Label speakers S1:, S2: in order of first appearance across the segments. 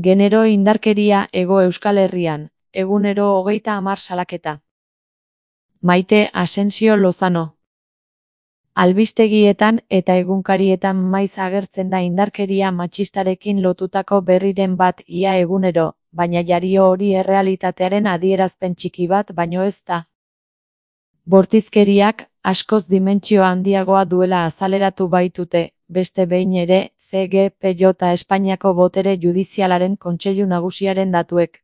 S1: Genero indarkeria Hego Euskal Herrian, egunero 30 salaketa. Maite Asensio Lozano. Albistegietan eta egunkarietan maiz agertzen da indarkeria matxistarekin lotutako berriren bat ia egunero, baina jario hori errealitatearen adierazpen txiki bat baino ez da. Bortizkeriak askoz dimentsio handiagoa duela azaleratu baitute, beste behin ere, CGPJ Espainiako Botere Judizialaren Kontseilu Nagusiaren datuek.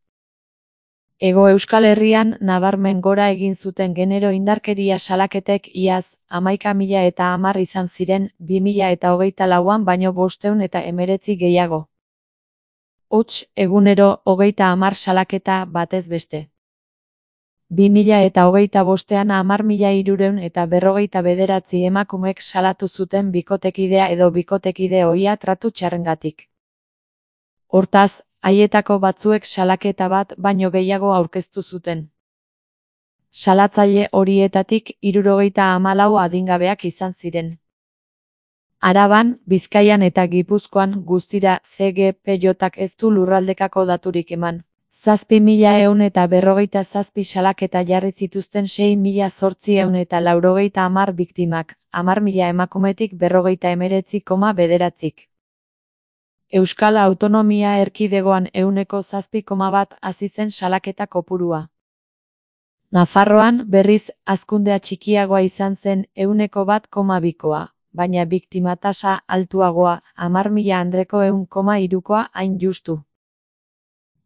S1: Hego Euskal Herrian nabarmen gora egin zuten genero indarkeria salaketek iaz 11.010 izan ziren 2024an baino 519 gehiago. Huts, egunero 30 salaketa batez beste. 2025an 10.349 emakumek salatu zuten bikotekidea edo bikotekide ohia tratu txarrengatik. Hortaz, haietako batzuek salaketa bat baino gehiago aurkeztu zuten. Salatzaile horietatik 74 adingabeak izan ziren. Araban, Bizkaian eta Gipuzkoan guztira CGPJak ez du lurraldekako daturik eman. 7.157 salaketa jarri zituzten 6.890 biktimak, 10.000 emakumetik 59,9. Euskal Autonomia Erkidegoan 7,1 hazi zen salaketa kopurua. Nafarroan, berriz, hazkundea txikiagoa izan zen 1,2, baina biktima tasa altuagoa, 10.000 andreko 1,3 hain justu.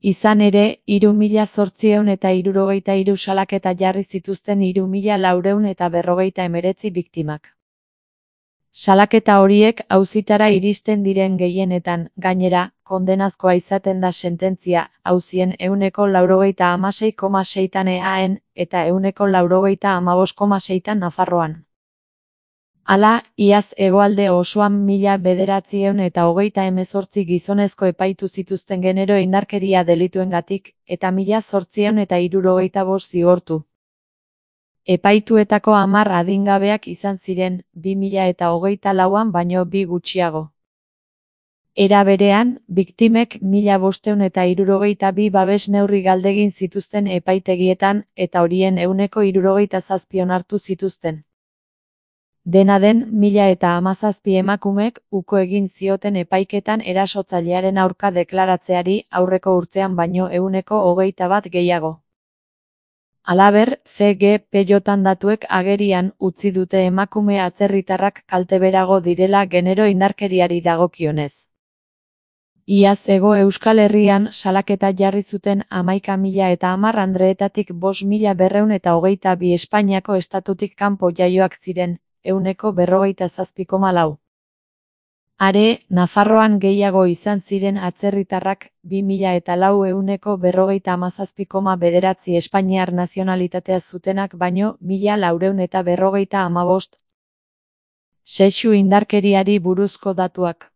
S1: Izan ere, 3.873 salaketa jarri zituzten 3.459 biktimak. Salaketa horiek auzitara iristen diren gehienetan, gainera, kondenazkoa izaten da sententzia, auzien 96,6 EAEn, eta 95,6 Nafarroan. Hala, iaz hegoalde osoan 1.928 gizonezko epaitu zituzten genero indarkeria delituengatik, eta 1.875 zigortu. Epaituetako 10 adingabeak izan ziren, 2024an baino 2 gutxiago. Era berean, biktimek 1.572 babes neurri galdegin zituzten epaitegietan, eta horien 67 onartu zituzten. Dena den, 1.017 emakumek uko egin zioten epaiketan erasotzailearen aurka deklaratzeari aurreko urtean baino 121 gehiago. Halaber, CGPJan datuek agerian utzi dute emakume atzerritarrak kalteberago direla genero indarkeriari dagokionez. Iaz Hego Euskal Herrian salaketa jarri zuten 11.010 andreetatik 5.222 Espainiako estatutik kanpo jaioak ziren, 57,4. Are, Nafarroan gehiago izan ziren atzerritarrak, 2004 57,9 Espainiar nazionalitatea zutenak baino 1.455. Sexu indarkeriari buruzko datuak.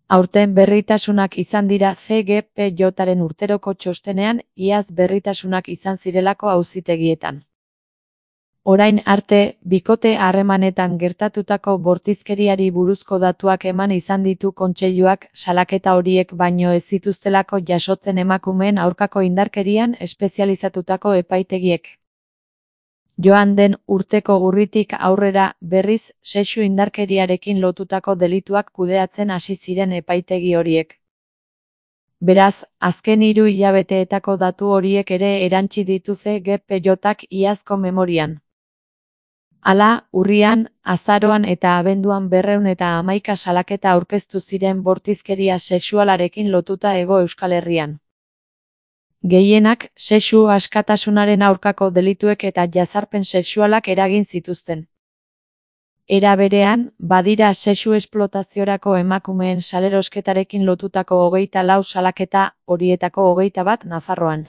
S1: Aurten berritasunak izan dira CGPJaren urteroko txostenean, iaz berritasunak izan zirelako auzitegietan. Orain arte, bikote harremanetan gertatutako bortizkeriari buruzko datuak eman izan ditu kontseiluak salaketa horiek baino ez zituztelako jasotzen emakumeen aurkako indarkerian espezializatutako epaitegiek. Joan den urteko urritik aurrera, berriz, sexu indarkeriarekin lotutako delituak kudeatzen hasi ziren epaitegi horiek. Beraz, azken 3 hilabeteetako datu horiek ere erantsi ditu CGPJak iazko memorian. Hala, urrian, azaroan eta abenduan 211 salaketa aurkeztu ziren bortizkeria sexualarekin lotuta Hego Euskal Herrian. Gehienak, sexu askatasunaren aurkako delituek eta jazarpen sexualak eragin zituzten. Era berean, badira sexu esplotaziorako emakumeen salerosketarekin lotutako 24 salaketa, horietako 21 Nafarroan.